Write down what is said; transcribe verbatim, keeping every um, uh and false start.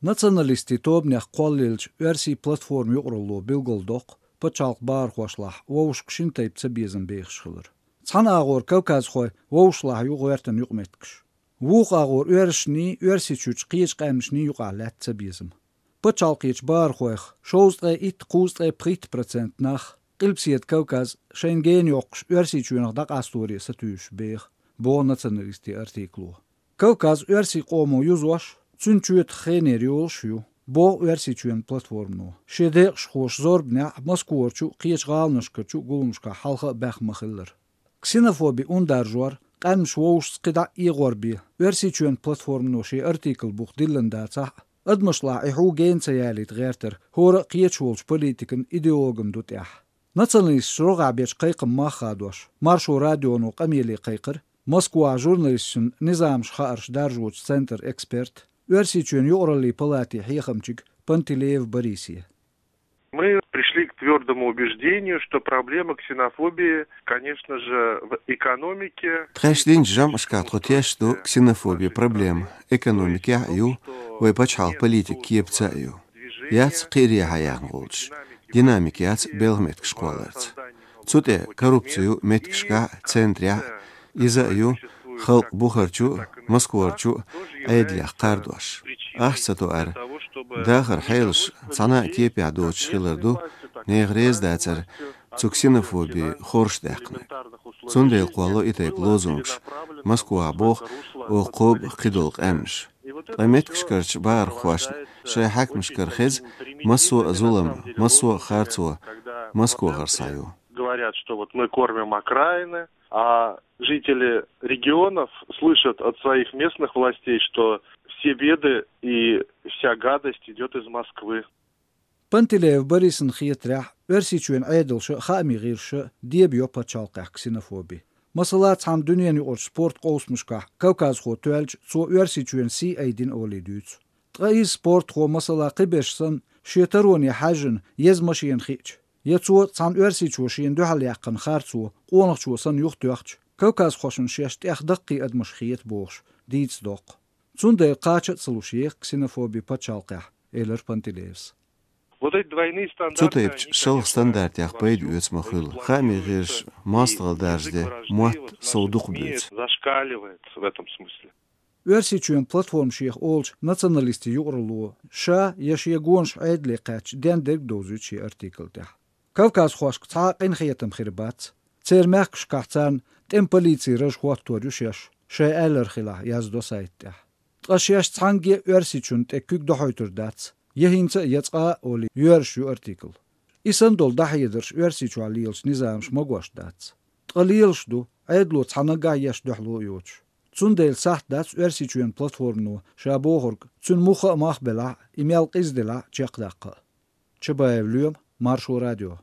Националистийн тобанех кхоллаеллачу оьрсийн платформа юкъаралло билгалдоккху пачхьалкхан бахархошлахь вовшашка шина тайпа цабезам бехаш хилар. Цхьана агӀор кавказхой вовшашлахь ю гӀоьртан юкъаметтигаш. Вукху агӀор оьрсашний, Оьрсийчуьрчу кхечу къаьмнашний юкъахь лаьтта цабезам. Пачхьалкхечу бахархойх шовзткъе итт, кхузткъе пхийтта процент нах Къилбаседа Кавказ шайна гена йоккхуш Оьрсийчоьнах дӀакъасторе сатуьйсуш беха, боху националистийн артикло. Кавказ оьрсийн къомо юзош, цуьнан чоьтах хенера йолуш а ю, боху Оьрсийчоьнан платформано. Шен декъашхоша зорбанехь Москварчу а, кхечу гӀаланашкарчу а гуламашкахь хьалха а баьхна ма-хиллара. Ксенофоби ундаржор, къаьмнаш вовшашца кхидӀа а эгӀор бен, Оьрсийчоьнан платформано шен артикл бух диллина дацахь а, адамашлахь и хьу гена ца ялийта гӀертар хӀора а кхечу волчу политикан идеологан ду тӀехь. Националисташа рогӀехь бечу кхайкхаман мах хадош, Маршо радионо къамеле кхайкхира Москвахь журналисташна низамаш хаарш даржочу центран эксперт, Оьрсийчоьнан юкъараллин палатин хьехамчига Пантелеев Борисе. Мы пришли к твёрдому убеждению, что проблема ксенофобии, конечно же, в экономике. Тхаьш динчу жамӀашкахь тхо тешна ду ксенофобин проблема экономикехь а ю, вайн пачхьалкхан политикан кепаца а ю. Яц кхиарехьа яхна гӀулчаш, динамика яц белхан меттигаш кхолларца. Цу тӀе коррупци ю меттигашкахь а, центрехь а, иза а ю халкъ бухарчу а, Москварчу а Ӏедалех кхардош. Ахча ца тоар, дахаран хьелаш цхьана а кепехь доцуш хилар ду, нехан реза дацар цу ксенофобин хорша даьккхинарг. Цундела кхоллало и тайпа лозунгаш, Москвахь боху оха кхобу кхидолу къаьмнаш. Ткъа меттигашкарчу бахархошна шайн хьаькамашкара хеза массо а зулам, массо а харцо Москвахара схьаю. Говорят, что вот мы кормим окраины, а жители регионов слышат от своих местных властей, что все беды и вся гадость идёт из Москвы. Пантелеев Борисна хетарехь, Оьрсийчоьнан Ӏедалша а, хаамийн гӀирсаша а деба йо пачхьалкхехь ксенофоби. Масала, цхьана дуьненан юкъарчу спорт къовсамашкахь кавказхо тоьлча, цо Оьрсийчоьнан сий айдина олий дуьйцу. Ткъа иза спортхо, масала, кхиберш санна, шен тароне хьаьжжина еза машена хиъча, я цо цхьана оьрсичо шена дуьхьал яьккхина харцо къонахчо санна юхатоьхча, кавказхошна шаьш тӀех даккхий адамаш хета бохуш дийца доккху. Цундела кхача а ца луш еха ксенофоби пачхьалкхехь, элира Пантелеевс. Вот эти двойные стандарты, они, конечно, шалха стандартех пайда оьцу ма хуьлу. Хаамийн гӀирсаша мостагӀалла даржаде мотт сов дукха буьйцу. Зашкаливает в этом смысле. Оьрсийчоьнан платформа шех олучу националистийн юкъаралло ша я шен гонаш Ӏедале кхаьчча дендерг а довзуьйту шен артикл тӀехь. Кавказхошка цхьа а къинхетам хир бац. Церан мехкашкахь царна тӀеман полицин раж хӀоттор ю шаьш, шайн аьлларг хилахь, яздо сайта тӀехь. Ткъа шаьш цхьаьнгге а Оьрсийчунна тӀе куьг дохьуьйтур дац, я хӀинца а, я цкъа а олий, йоьрзуш ю артикл. И санна долу дӀахьедарш Оьрсийчохь лелачу низамаша магош дац. Ткъа лелаш ду, Ӏедало цхьа наггахь еш дуьхьало а йоцуш. Цундела сахьт дац Оьрсийчоьнан платформано ша бохург, цуьнан муха а мах белахь а, и мел къизделахь а, чекхдаккха а. Чабаев Лоьма, Маршо радио.